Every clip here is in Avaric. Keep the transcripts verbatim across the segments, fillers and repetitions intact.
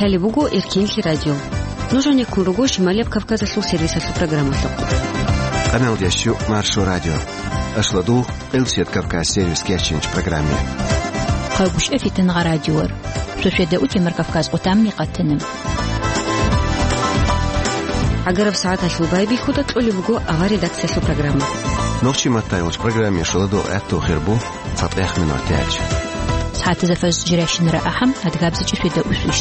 Лъалеб буго Эркенлъи радио. Нуж гьанеккун руго Шималияб Кавказалъул сервисалъул программалъухъ. Къаналдиясчу Маршо радио. Ашладул, Элсият Кавказ сервис кечинч программе. Хъагушев Фитнагъа радиор. Суседа утемар Кавказ къутамни къатана. Агараб сагӀаталъул байбихьуда кьолеб буго авар редакциялъул программа. Нохчи маттайолч программе шоладо гӀатту хирбу. ЦатӀехъ минутаялъ. СагӀатазда фажр жирайщинара ахӀам, адгабзичӀи светаусвищ.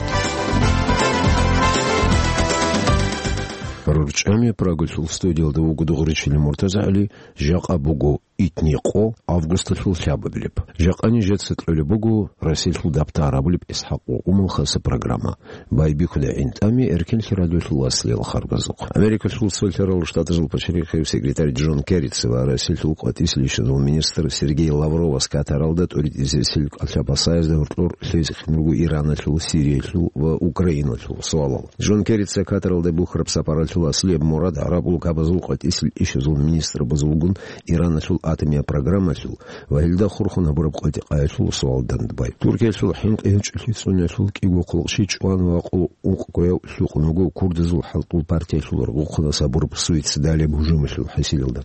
РорчӀами Прагалъул студиялда вуго Дугъричилин МуртазагӀали, жакъа буго итни къо августалъул лъабабилеб. Жакъа нижеца кьолеб буго Расилъул дабтар абулеб ИсхӀакъ ва Умал хаса программа. Байбихьуда гӀинтӀами Эркенлъи радиолъул аслиял харбазухъ. Америкалъул Цолъарал Штатазул пачалихъев секретарь Джон Керрица ва Россиялъул къватӀисел ишазул министр Сергей Лавровас Катаралда тӀуритӀизесил кӀалъа-пасаязда гьоркьор лъезехъин руго Ираналъул, Сириялъул ва Украиналъул суалал. Джон Керрица Катаралда бухьараб сапаралъул аслияб мурад гӀарабул кабазул къватӀисел ишазул министрабазулгун Ираналъул атомияб программалъул ва гьелда хурхун гьабураб къватӀикъаялъул суал дандбай. Туркиялъул хӀинкъи гьечӀолъи цӀуналъул кӀиго хъулухъ щичӀ ван ва къо-, ункъкӀояв лъукъун вуго курдазул хӀалтӀул партиялъул ргъухъунас гьабураб суицидалияб гьужумалъул хӀисилалда.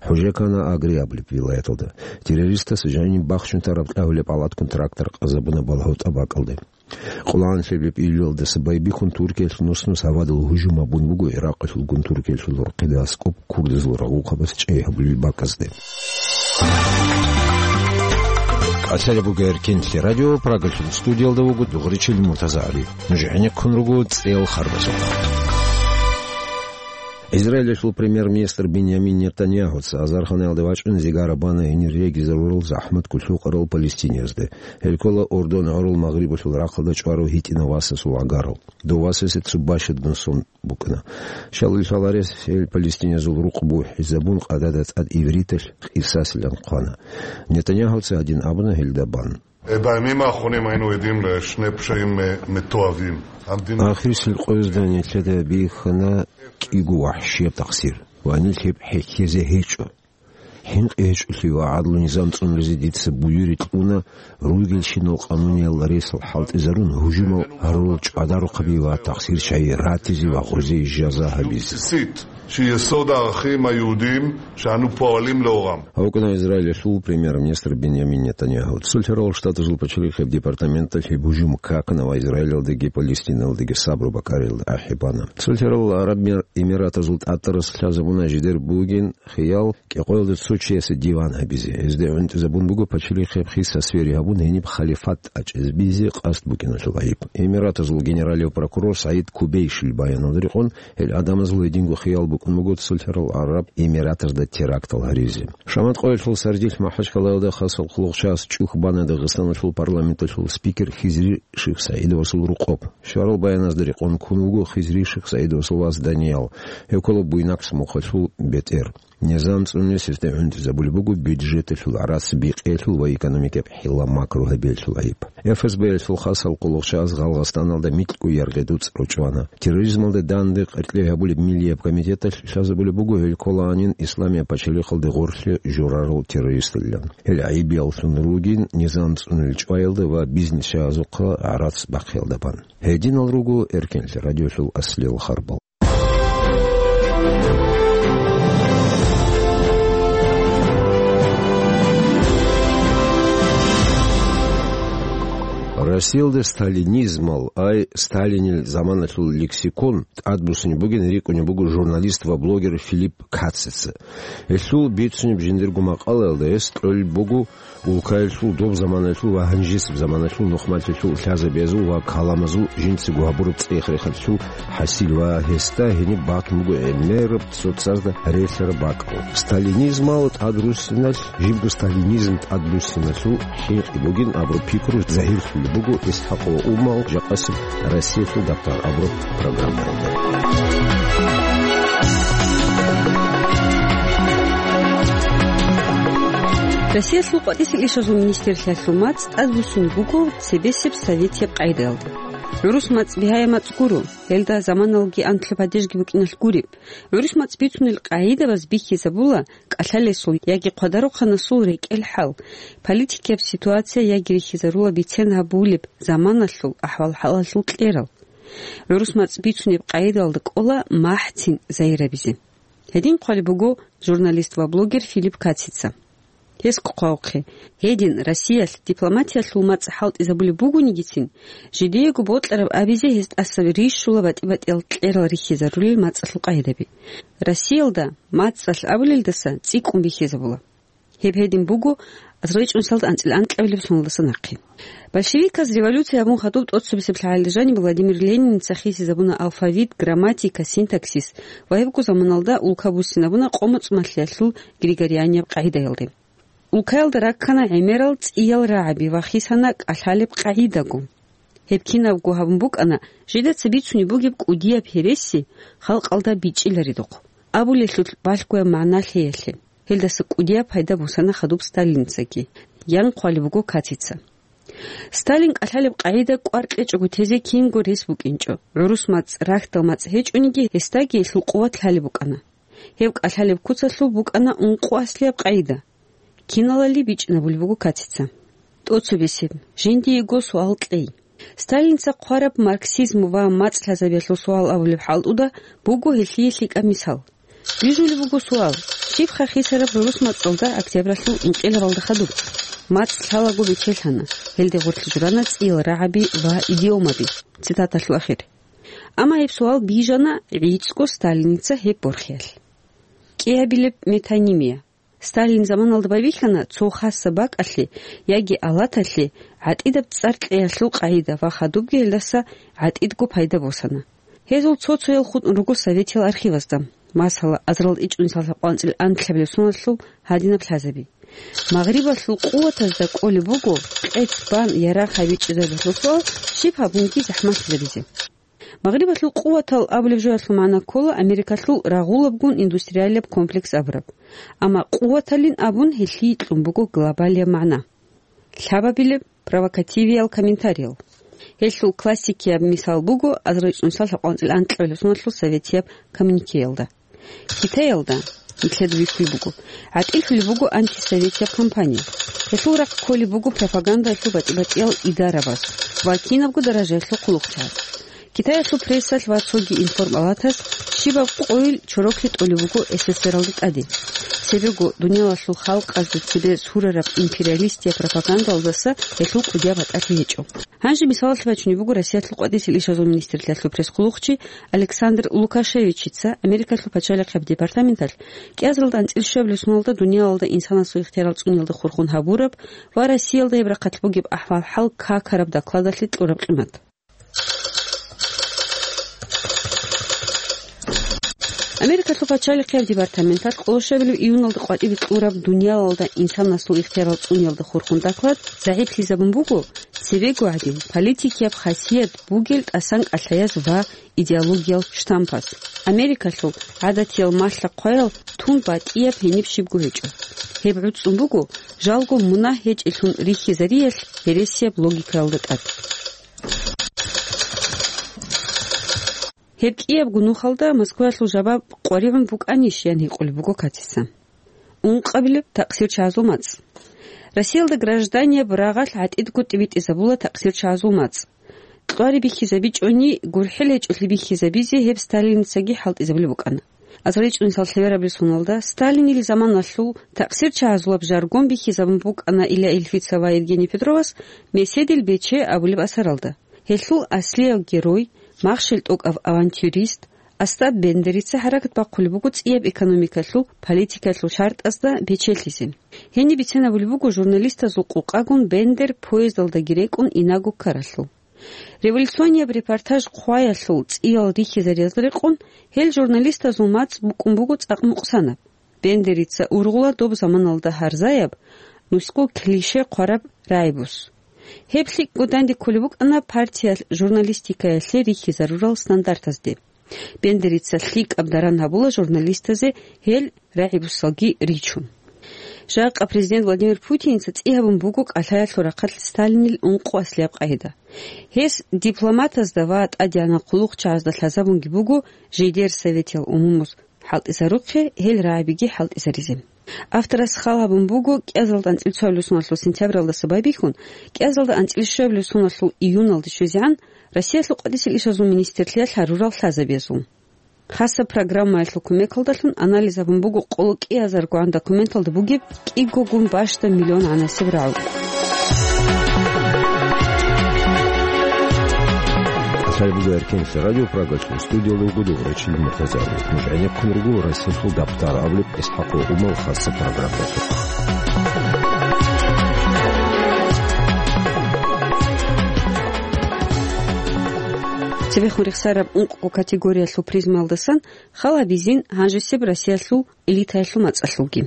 ХӀужекана Агри абулеб вилаяталда. Террористас жаниб бахчун тараб кьагьулеб палаткун трактор къазабуна балгьав тӀабакӀалде. Къулаан лъеб-лъеб июлалдаса байбихьун Туркиялъ нус-нус гьавадал гьужум гьабун буго Иракъалъулгун Туркиялъул рорхъида аскӀоб курдазул рагъухъабаз чӀей гьабулел бакӀазде. КӀалъалеб буго Эркенлъи радио, Прагалъул студиялда вуго Дугъричил МуртазагӀали. Нуж гӀенеккун руго цӀеял харбазухъ. Израилалъул премьер-министр Биньямин Нетаньяхуца азарханаялда вачӀун зигара бана гьенир регизарурал захӀмат кколъукъарал палестиниязде. Гьел ккола Ордон гӀурул Магърибалъул рахъалда чӀварав гьитӀинав васасул гӀагарал. Дов васасе цо бащадаб сон букӀана. Щалил лъаларес гьел палестиниязул рукъ бухӀизабун, къадада тӀад ивриталъ къисасилан хъвана. Нетаньяхуца гьадин абуна гьелда бан. בימים האחרונים היינו עדים לשני פשעים, אה, מתועבים. המדינה Ахирисел къоязда нилъеда бихьана кӀиго вахӀшияб такъсир ва нилъ гьеб хӀехьезе гьечӀо. ХӀинкъи гьечӀолъи ва гӀадлу низам цӀунаризе дица буюри кьуна, ругелщинал къануниял ресал хӀалтӀизарун, гьужумал гьарурал чӀвадарухъаби ва такъсирчагӀи ратизе ва гъузе жаза гьабизе. בסיסית, שהיא יסוד הערכים היהודיים שאנו פועלים לאורם. ГьавкӀана Израилалъул премьер-министр Биньямин Нетаньяху. Цолъарал Штатазул пачалихъеб департаменталъ гьеб гьужум какана ва Израилалдаги Палестиналдаги сабру бакӀариялда ахӀи бана. Цолъарал ГӀараб Эмир-, Эмиратазул тӀатӀарас лъазабуна жидер бугин хиял кӀикъоялда цо чиясе диван гьабизе. Гьезда гӀунтӀизабун буго пачалихъеб хиса свери гьабун, гьениб халифат тӀачӀизабизе къасд букӀиналъул гӀайиб. Эмиратазул генералив прокурор СагӀид Кубейшил баяналда рекъон, гьел гӀадамазул гьединго хиял букӀун буго Цолъарал ГӀараб Эмиратазда терактал гьаризе. Шамат къоялъул сардилъ МахӀачкъалаялда хасал хъулухъ час чӀухь бана Дагъистаналъул парламенталъул спикер Хизри Шихсаидовасул рукъоб. Щварал баяназда рекъон ккун вуго Хизри Шихсаидовасул вас Даниял. Гьев ккола Буйнакск мухъалъул бетӀер. Низам цӀунулес гьесда гӀунтӀизабулеб буго бюджеталъул гӀарац бикъиялъул ва экономикаб хӀилла-макру гьабиялъул гӀайиб. ФСБ-ялъул хасал хъулухъ час Гъалгъастаналда микьго яргъи дуцӀ ручӀвана. Терроризмалда данде къеркьей гьабулеб миллияб комитеталъ лъазабулеб буго гьел кколаанин Исламияб пачалихъалде гъорлъе журарал террористалилан. Гьел гӀайибияллъун ругин низам цӀунулел чӀваялда ва бизнесчагьазухъа гӀарац бахъиялда бан. Гьединал руго Эркенлъи радиолъул аслиял харбал. Россиялда сталинизмал, ай, Сталинил заманалъул лексикон тӀадбуссинеб бугин рикӀкӀунеб буго журналист ва блогер Филипп Кацица. Гьелъул бицунеб жиндирго макъалаялда гьес кьолеб буго улкаялъул доб заманаялъул ва гьанжесеб заманаялъул нухмалъиялъул лъазабиязул ва каламазул жинцаго гьабураб цӀех-рехалъул хӀасил ва гьесда гьениб батун буго гӀемераб цоцазда релълъараб бакӀал. Сталинизмал тӀадруссиналъ, жибго сталинизм тӀадруссиналъул хӀинкъи бугин абураб пикру загьирлъулеб буго ИсхӀакъ ва Умал жакъасеб Россиялъул дабтар абураб программаялда. Россиялъул къватӀисел ишазул министрлъиялъул мацӀ тӀадбуссун буго цебесеб советияб къагӀидаялда. ГӀурус мацӀ бигьаяб мацӀ гуро, гьелда заманалги анлъго падежги букӀиналъ гуреб. ГӀурус мацӀ бицунел къагӀидабаз бихьизабула кӀалъалесул яги хъвадарухъанасул рекӀел хӀал, политикияб ситуация яги рихьизарула бицен гьабулеб заманалъул ахӀвал-хӀалалъул кьерал. ГӀурус мацӀ бицунеб къагӀидалда кӀола махӀцин загьир гьабизе. Гьедин хъвалеб буго журналист ва блогер Филипп Кацица. Гьес хъвавухъе, гьедин Россиялъ дипломатиялъул мацӀ хӀалтӀизабулеб бугонигицин, жидеего бокьараб абизе гьез тӀаса рищула батӀи-батӀиял кьерал рихьизарулел мацӀалъул къагӀидаби. Россиялда мацӀалъ абулелдаса цӀикӀкӀун бихьизабула. Гьеб гьедин буго азарилчӀунсалда анцӀила анкьабилеб соналдаса нахъе. Большевиказ революция гьабун хадуб тӀоцебесеб лъагӀалил жаниб Владимир Лениница хисизабуна алфавит, грамматика, синтаксис ва гьебго заманалда улка буссинабуна къо-моцӀ малъиялъул григорианияб къагӀидаялде. Улкаялда раккана гӀемерал цӀиял рагӀаби ва хисана кӀалъалеб къагӀидаго. Гьеб кинабго гьабун букӀана, жидаца бицунеб бугеб кӀудияб гьереси халкъалда бичӀчӀиларедухъ. Абулелъул балъгояб магӀна лъеялъе. Гьелдаса кӀудияб пайда босана хадуб Сталинцаги, ян хъвалеб буго Кацица. Сталин кӀалъалеб къагӀида кӀвар кьечӀого тезе кинго рес букӀинчӀо. ГӀурус мацӀ, рахьдал мацӀ гьечӀониги, гьесдаги гьелъул къуват лъалеб букӀана. Гьеб кӀалъалеб куцалъул букӀана ункъо аслияб къагӀида. Киналали бичӀчӀинабулеб буго Кацица. ТӀоцебесеб, жиндиего суал кьей. Сталинца хъвараб марксизм ва мацӀ лъазабиялъул суал абулеб хӀалтӀуда буго гьелъие лъикӀаб мисал. Бижулеб буго суал: щибха хисараб гӀурус мацӀалда октябралъул инкъилабалда хадуб? МацӀ лъалаго бечелъана, гьелде гъорлъ журана цӀиял рагӀаби ва идиомаби. Цитаталъул ахир. Амма гьеб суал бижана гӀицӀго Сталинца гьеб борхиялъ. КӀиабилеб метонимия. Сталин заманалда байбихьана цо хасаб бакӀалъе яги алаталъе гӀатӀидаб цӀар кьеялъул къагӀида ва хадубги гьелдаса гӀатӀидго пайда босана. Гьезул цо-цоял хутӀун руго советиял архивазда, масала, азарилчӀунсалда къванцӀил анлъабилеб соналъул гьадинаб лъазаби. Магърибалъул къуватазда кӀолеб буго къец бан ярагъ гьабичӀезабиялъул суал щиб гьабунги захӀмалъизабизе. Магърибалъул къуватал абулеб жоялъул магӀна ккола Америкалъул рагъулабгун индустриалияб комплекс абураб. Амма къуваталин абун гьелъие кьун буго глобалияб магӀна. Лъабабилеб провокативиял комментариял. Гьелъул классикияб мисал буго азарилчӀунсалда къванцӀил анкьабилеб соналъул советияб коммуникеялда. Китаялда, нилъеда бихьулеб буго, гӀатӀилъулеб буго антисоветияб кампания. Гьелъул рахъ кколеб буго пропагандалъул батӀи-батӀиял идарабаз ва кинабго даражаялъул хъулухъчагӀаз. Китаялъул прессалъ ва цоги информалатас щибаб къойил чороклъи тӀолеб буго С С С Р-алда тӀаде. Цебего дуниялалъул халкъазда цебе сурараб империалистияб пропагандалдаса гьелъул кӀудияб батӀалъи гьечӀо. Гьанже мисалалъе бачунеб буго Россиялъул къватӀиб лъикӀлъи лъазул министрлъиялъул пресс-хъулухъчи Александр Лукашевичица Америкалъул пачалихъияб департаменталъ кӀиазаралда анцӀила щуабилеб соналда дуниялалда инсанасул ихтиярал цӀуниялда хурхун гьабураб ва Россиялда гьеб рахъалъ бугеб ахӀвал-хӀал какараб докладалъе кьураб къимат. Америкалъул пачалихъияб департаменталъ къоло щуабилеб июналда къватӀибе кьураб дуниялалда инсанасул ихтиярал цӀуниялда хурхун доклад загӀиплъизабун буго цебего гӀадин политикияб хасият бугел тӀасан кӀалъаяз ва идеологиял штампаз. Америкалъул гӀадатиял малъа-хъваял тун батӀияб гьениб щибго гьечӀо. Гьеб гӀуцӀун буго жалго мунагь гьечӀелъун рихьизариялъ гьересияб логикаялда тӀад. Гьеб кӀиябго нухалда Москваялъул жабаб къваригӀун букӀанищ, ян гьикъулеб буго Кацица. Ункъабилеб такъсирчагӀазул мацӀ. Россиялда гражданияб рагъалъ гӀатӀидго тӀибитӀизабула такъсирчагӀазул мацӀ. Кьвари бихьизабичӀони, гурхӀел гьечӀолъи бихьизабизе гьеб Сталиницаги хӀалтӀизабулеб букӀана. АзарилчӀунсал лъеберабилеб соналда Сталинил заманалъул такъсирчагӀазулаб жаргон бихьизабун букӀана Илья Ильфица ва Евгений Петровас «Меседил бече» абулеб асаралда. Гьелъул аслияб герой, махщел тӀокӀав авантюрист Остап Бендерица хӀаракат бахъулеб буго цӀияб экономикалъул, политикалъул шартӀазда бечелъизе. Гьениб бицинабулеб буго журналистазул къокъагун Бендер поездалдаги рекӀун инаго ккаралъул. Революционияб репортаж хъваялъул цӀиял рихьизариялда рекъон, гьел журналистазул мацӀ букӀун буго цӀакъ мукъсанаб. Бендерица ургъула доб заманалда гьарзаяб, нусго клише хъвараб рагӀибус. Гьеб лъикӀго данде кколеб букӀана партиялъ журналистикаялъе рихьизарурал стандартазде. Бендерица лъикӀаб даран гьабула журналистазе гьел рагӀибусалги ричун. Жакъа президент Владимир Путиница цӀи гьабун буго кӀалъаялъул рахъалъ Сталинил ункъо аслияб къагӀида. Гьес дипломатазда ва тӀадегӀанал хъулухъчагӀазда лъазабунги буго жидер советиял умумуз хӀалтӀизарухъе гьел рагӀабиги хӀалтӀизаризе. Авторас хал гьабун буго кӀиазалда анцӀил цоябилеб соналъул сентябралдаса байбихьун, кӀиазалда анцӀил щуябилеб соналъул июналде щвезегӀан Россиялъул къватӀисел ишазул министрлъиялъ гьарурал лъазабиязул. Хасаб программаялъул кумекалдалъун анализ гьабун буго къоло кӀиазаргогӀан документалда бугеб кӀигогун бащдаб миллион гӀанасеб рагӀу. Лъай буго Эркенлъи радио Прагачун, студиялда вуго Рачил Муртазаев. Нуж гӀенеккун руго Россиялъул дапӀтар абулеб ИсхӀакъ Умал хасаб программалъухъ. Цебехун рехсараб ункъго категориялъул призмаялдасан хал гьабизин гьанжесеб Россиялъул элитаялъул мацӀалъулги.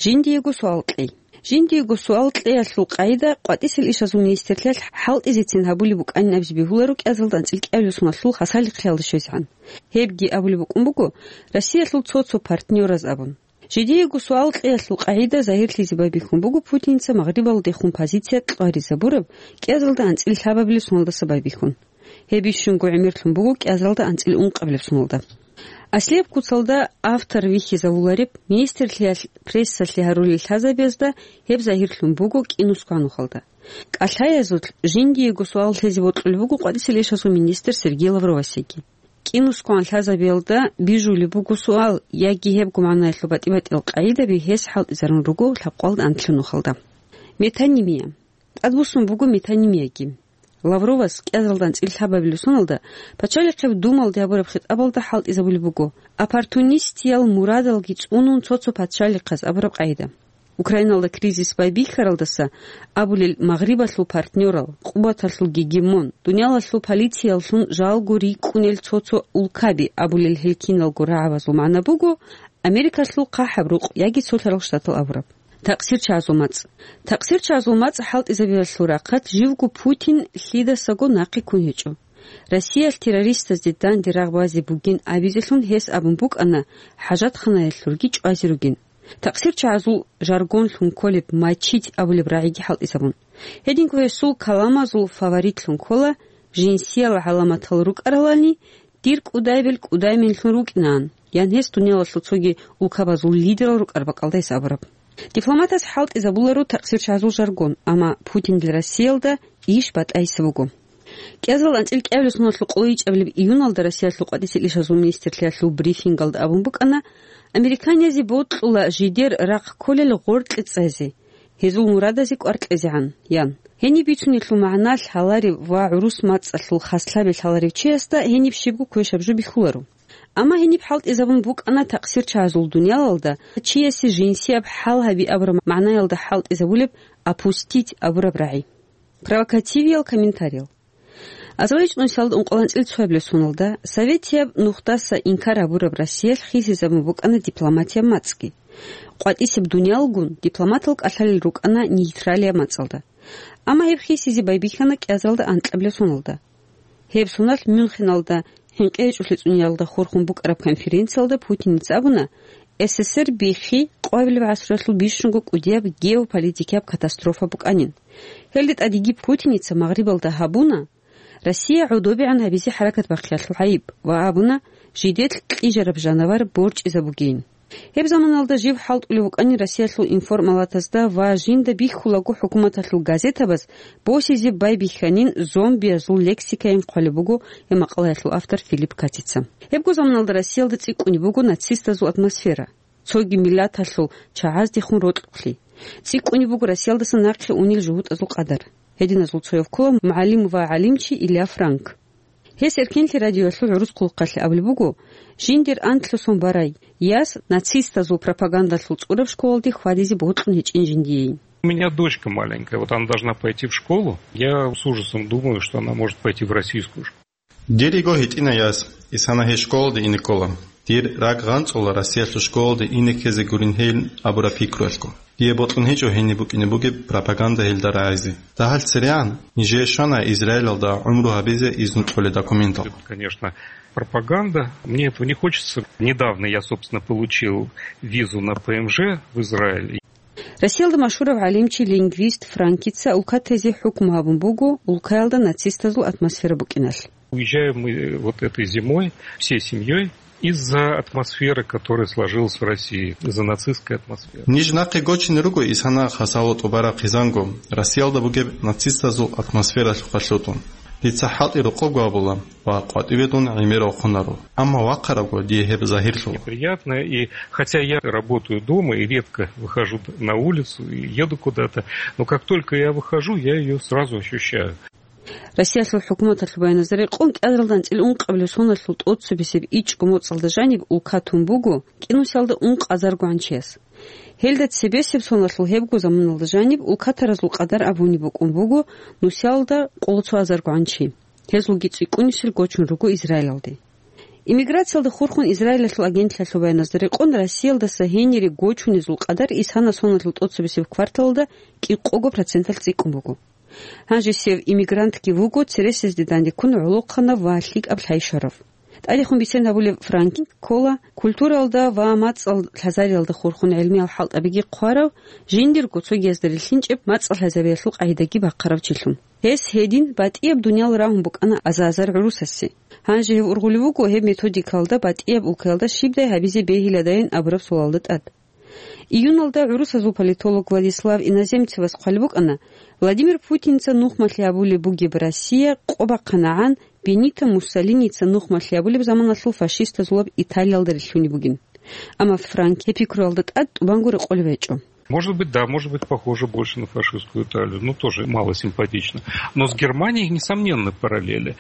Жиндиего суал кьей. Жиндиего суал кьеялъул къагӀида къватӀисел ишазул министрлъиялъ хӀалтӀизецин гьабулеб букӀанин абизе бегьуларо кӀиазалда анцӀил кӀиабилеб соналъул хасалихъиялда щвезегӀан. Гьебги абулеб букӀун буго Россиялъул цо-цо партнёраз абун. Жидеего суал кьеялъул къагӀида загьирлъизе байбихьун буго Путинца Магърибалдехун позиция кьваризабураб кӀиазалда анцӀил лъабабилеб соналдаса байбихьун. Гьеб бищунго гӀемерлъун буго кӀиазалда анцӀил ункъабилеб соналда. Аслияб куцалда автор вихьизавулареб министрлъиялъ прессалъе гьарулел лъазабиязда гьеб загьирлъун буго кӀинусго гьанухалда. КӀалъаязулъ жиндиего суал лъезе бокьулеб буго къватӀисел ишазул министр Сергей Лавровасеги. КӀинусгоан лъазабиялда бижулеб буго суал яги гьебго магӀнаялъул батӀи-батӀиял къагӀидаби гьес хӀалтӀизарун руго лъабкъоялда анлъго нухалда. Метонимия. ТӀадбуссун буго метонимияги. Лавровас кӀиазалда анцӀил лъабабилеб соналда пачалихъеб Думалде гьабураб хитӀабалда хӀалтӀизабулеб буго, оппортунистиял мурадалги цӀунун цо-цо пачалихъаз абураб къагӀида. Украиналда кризис байбихьаралдаса абулел Магърибалъул партнёрал, къуваталъул гегемон, дуниялалъул политияллъун жалго рикӀкӀунел цо-цо улкаби абулел гьел киналго рагӀабазул магӀна буго Америкалъул хъахӀаб рукъ яги Цолъарал Штатал абураб. ТакъсирчагӀазул мацӀ. ТакъсирчагӀазул мацӀ хӀалтӀизабиялъул рахъалъ живго Путин лъидасаго нахъе ккун гьечӀо. Россиялъ террористазде данде рагъ базе бугин абизелъун гьес абун букӀана хӀажатханаялъулги чӀвазе ругин. ТакъсирчагӀазул жаргонлъун кколеб мочить абулеб рагӀиги хӀалтӀизабун. Гьединго гьесул каламазул фаворитлъун ккола, жинсиял гӀаламатал рукӀаралани, дир кӀудайбел кӀудайменлъун рукӀинаан, ян гьес дуниялалъул цоги улкабазул лидерал рукӀараб бакӀалда гьес абураб. Дипломатас хӀалтӀизабуларо такъсирчагӀазул жаргон, амма Путиндил Россиялда иш батӀайса буго. КӀиазал анцӀил кӀиабилеб соналъул къоло ичӀабилеб июналда Россиялъул къватӀисел ишазул министрлъиялъул брифингалда абун букӀана, американиязде бокьула жидер рахъ кколел гъоркье цӀезе, гьезул мурадазе кӀвар кьезегӀан, ян. Гьениб бицунелъул магӀна лъаларев ва гӀурус мацӀалъул хаслъаби лъаларев чиясда гьениб щибго квешаб жо бихьуларо. Амма гьениб хӀалтӀизабун букӀана такъсирчагӀазул дуниялалда чиясе жинсияб хӀал гьаби абураб магӀнаялда хӀалтӀизабулеб опустить абураб рагӀи. Провокативиял комментариял. АзаличӀунсиялда ункъоялда анцӀил цоябилеб соналда советияб нухдаса инкар гьабураб Россиялъ хисизабун букӀана дипломатияб мацӀги. КъватӀисеб дуниялгун дипломатал кӀалъалел рукӀана нейтралияб мацӀалда. Амма гьеб хисизе байбихьана кӀиазалда анкьабилеб соналда. Гьеб соналъ Мюнхеналда хӀинкъи гьечӀолъи цӀуниялда хурхун букӀараб конференциялда Путиница абуна, СССР биххи къоабилеб гӀасруялъул бищунго кӀудияб геополитикияб катастрофа букӀанин. Гьелде тӀадеги Путиница Магърибалда гьабуна Россия гӀодобегӀан гьабизе хӀаракат бахъиялъул гӀайиб ва абуна, жидер кьижараб жанавар борчӀизабугейин. Гьеб заманалда жив хӀалтӀулев вукӀанин Россиялъул информалатазда ва жинда бихьулаго хӀукуматалъул газетабаз босизе байбихьанин зомбиязул лексикайин хъвалеб буго гьеб макъалаялъул автор Филипп Катица. Гьебго заманалда Россиялда цӀикӀкӀунеб буго нацистазул атмосфера, цоги миллаталъул чагӀаздехун рокьухълъи. ЦӀикӀкӀунеб буго Россиялдаса нахъе унел жугьутӀазул къадар. Гьединазул цояв ккола мугӀалим ва гӀалимчи Илья Франк. Гьес Эркенлъи радиоялъул гӀурус хъулухъалъе абулеб буго, жиндир анлъго сон барай яс нацистазул пропагандалъул цӀураб школалде хьвадизе бокьун гьечӀин жиндиейин. У меня дочка маленькая, вот она должна пойти в школу. Я с ужасом думаю, что она может пойти в российскую школу. Дир йиго гьитӀина яс, исана гьей школалде ине ккола. Дир ракӀ гъанцӀула Россиялъул школалде ине ккезе гурин гьейин абураб пикруялъго. Дие бокьун гьечӀо гьениб букӀине бугеб пропаганда гьелда рагӀизе. Дагьал церегӀан нижее щвана Израилалда гӀумру гьабизе изну кьолеб документал. Конечно, пропаганда. Мне этого не хочется. Недавно я, собственно, получил визу на П М Ж в Израиль. Россиялда машгьурав гӀалимчи, лингвист Франкица улкатезе хӀукму гьабун буго улкаялда нацистазул атмосфера букӀиналъ. Уезжаем мы, э, вот этой зимой всей семьей. Из-за атмосферы, которая сложилась в России, из-за нацистской атмосферы. Ниж нахъе гочине руго исана хасало тӀубараб хъизанго, Россиялда бугеб нацистазул атмосфералъухъалъутун. Дица хӀалтӀи рокъобго абула ва къватӀиве дун гӀемер вахъунаро. Амма вахъарабго дие гьеб загьирлъула. Неприятно, и хотя я работаю дома и редко выхожу д-, на улицу и еду куда-то, но как только я выхожу, я её сразу ощущаю. Россиялъул хӀукуматалъул баяназда рекъон, кӀиялдалъ анцӀила ункъабилеб соналъул тӀоцебесеб ичӀго моцӀалда жаниб улка тун буго кӀинусиялда ункъазаргогӀан чияс. Гьелда цебесеб соналъул гьебго заманалда жаниб улкатаразул къадар абунеб букӀун буго нусиялда къоло цо азаргогӀан чи. Гьезулги цӀикӀкӀунисел гочун руго Израилалде. Иммиграциялда хурхун Израилалъул агентлъиялъул баяназда рекъон, Россиялдаса гьенире гочунезул къадар исана соналъул тӀоцебесеб кварталалда кӀикъого проценталъ цӀикӀкӀун буго. Гьанже сев иммигрантги вуго цересезде дандеккун гӀолохъанав ва лъикӀаб лъай щварав. ТӀадехун бицен гьабулев Франк ккола культуралда ва мацӀал лъазариялда хурхун гӀелмиял хӀалтӀабиги хъварав, жиндирго цогиязда рилълъинчӀеб мацӀал лъазабиялъул къагӀидаги бахъарав чилъун. Гьес гьедин батӀияб дуниял рагьун букӀана аза-азар гӀурусасе. Гьанже гьев ургъулев вуго гьеб методикалда батӀияб улкаялда щибдай гьабизе бегьиладайин абураб суалалда тӀад. Июналда гӀурусазул политолог Владислав Иноземцевас хъвалеб букӀана, Владимир Путинца нухмалъи гьабулеб бугеб Россия къо бахъанагӀан Бенито Муссолиница нухмалъи гьабулеб заманалъул фашистазулаб Италиялда рилълъунеб бугин. Амма Франк гьеб пикруялда тӀад тӀубанго рекъолеб гьечӀо. Может быть, да, может быть, похоже больше на фашистскую Италию, но тоже мало симпатично. Но с Германией несомненны параллели.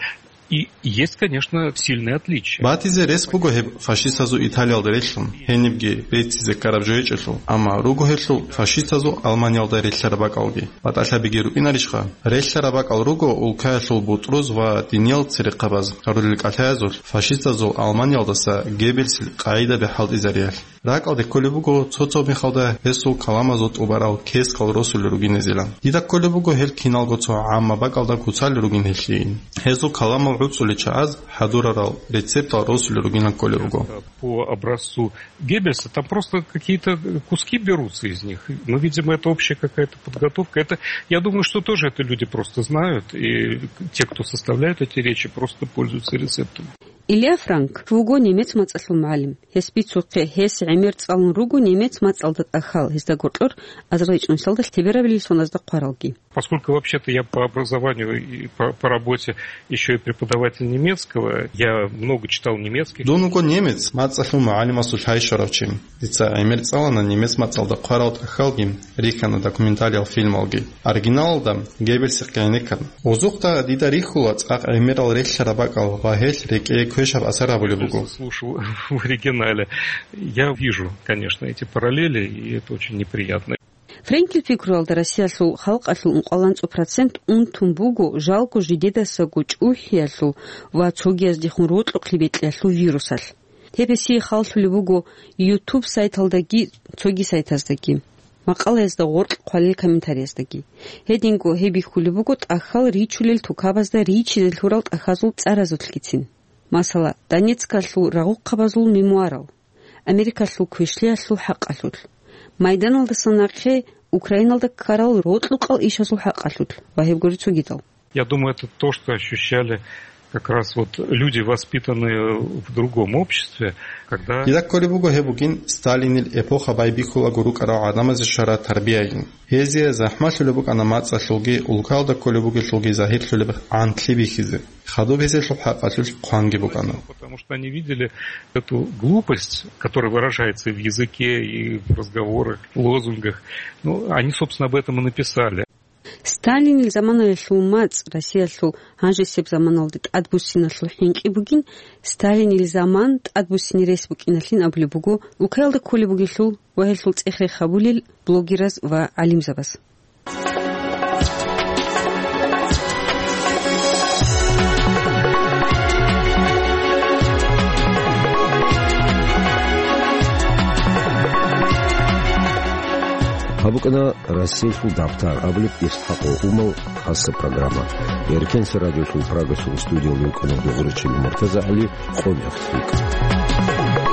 И есть, конечно, сильные отличия. Батизе рес буго гьеб фашистазул Италиялда релълъун, гьенибги беццизе ккараб жо гьечӀелъул, амма руго гьелъул фашистазул Алманиялда релълъараб бакӀалги. БатӀалъабиги рукӀинарищха? Релълъараб бакӀал руго улкаялъул бутӀруз ва диниял церехъабаз гьарулел кӀалъаязулъ фашистазул Алманиялдаса Геббельсил къагӀидаби хӀалтӀизариялъ. РакӀалде кколеб буго цо-цо мехалда гьесул каламазул тӀубарал кескал росулел ругинезилан. Дида кколеб буго гьел киналго цо гӀамма бакӀалда куцалел ругин гьелъийин. Гьезул каламал гӀуцӀулел чагӀаз хӀадурарал рецептал росулел ругинан кколеб буго. По образцу Геббельса там просто какие-то куски берутся из них. Ну, видимо, это общая какая-то подготовка. Это, я думаю, что тоже это люди просто знают, и те, кто составляют эти речи, просто пользуются рецептами. Илья Франк вуго немец мацӀалъул мугӀалим. Гьес бицухъе, гьес гӀемер цӀалун руго немец мацӀалда тӀахьал, гьезда гьоркьор азарилчӀунсалда лъеберабилеб соназда хъваралги. Поскольку вообще-то я по образованию и по, по работе ещё и преподаватель немецкого, я много читал немецких. Дун вуго немец мацӀалъул мугӀалимасул лъай щварав чи. Дица гӀемер цӀалана немец мацӀалда хъварал тӀахьалги, рихьана документалиал фильмалги. Оригиналалда Геббельсихъе гӀенеккан. Озухъда дида рихьула цӀакъ гӀемерал релълъараб бакӀал ва гьелъ рекӀее квешаб асар гьабулеб буго. Слушал в оригинале. Я вижу, конечно, эти параллели, и это очень неприятно. Франкил пикруялда Россиялъул халкъалъул ункъоялда цо процент унтун буго жалго жидедасаго чӀухӀиялъул ва цогияздехун рокьухъе бекьиялъул вирусалъ. Гьеб гьесие халлъулеб буго YouTube сайталдаги цоги сайтаздаги, макъалаязда гъоркь хъвалел комментарияздаги. Гьединго гьеб бихьулеб буго тӀахьал ричулел тукабазда ричизе лъурал тӀахьазул цӀаразулъгицин. Масала, Донецкалъул рагъухъабазул мемуарал, Америкалъул квешлъиялъул хӀакъалъулъ, майданалдаса нахъе Украиналда ккарал рокьукъал ишазул хӀакъалъулъ ва гьеб гури цогидал. Я думаю, это то, что ощущали как раз вот люди, воспитанные в другом обществе, когда... Дида кколеб буго гьеб бугин Сталинил эпоха байбихьулаго рукӀарал гӀадамазе щвараб тарбиягин. Гьезие захӀмалъулеб букӀана мацӀалъулги, улкалда кколеб бугелъулги загьирлъулеб гӀантлъи бихьизе. Хадуб гьезелъул хӀакъалъулъ хъванги букӀана. Потому что они видели эту глупость, которая выражается и в языке, и в разговорах, в лозунгах. Ну, они, собственно, об этом и написали. Сталинил заманаялъул мацӀ Россиялъул гьанжесеб заманалде тӀадбуссиналъул хӀинкъи бугин, Сталинил заман тӀадбуссине рес букӀиналъин абулеб буго улкаялда кколеб бугелъул ва гьелъул цӀех-рех гьабулел блогераз ва гӀалимзабаз. Гьаб букӀана Россиялъул дабтар абулеб ИсхӀакъ Умал хасаб программа. Эркенса радиолъул Прагасул студиялда вукӀана дугӀурчи Муртаза ГӀали, къо-,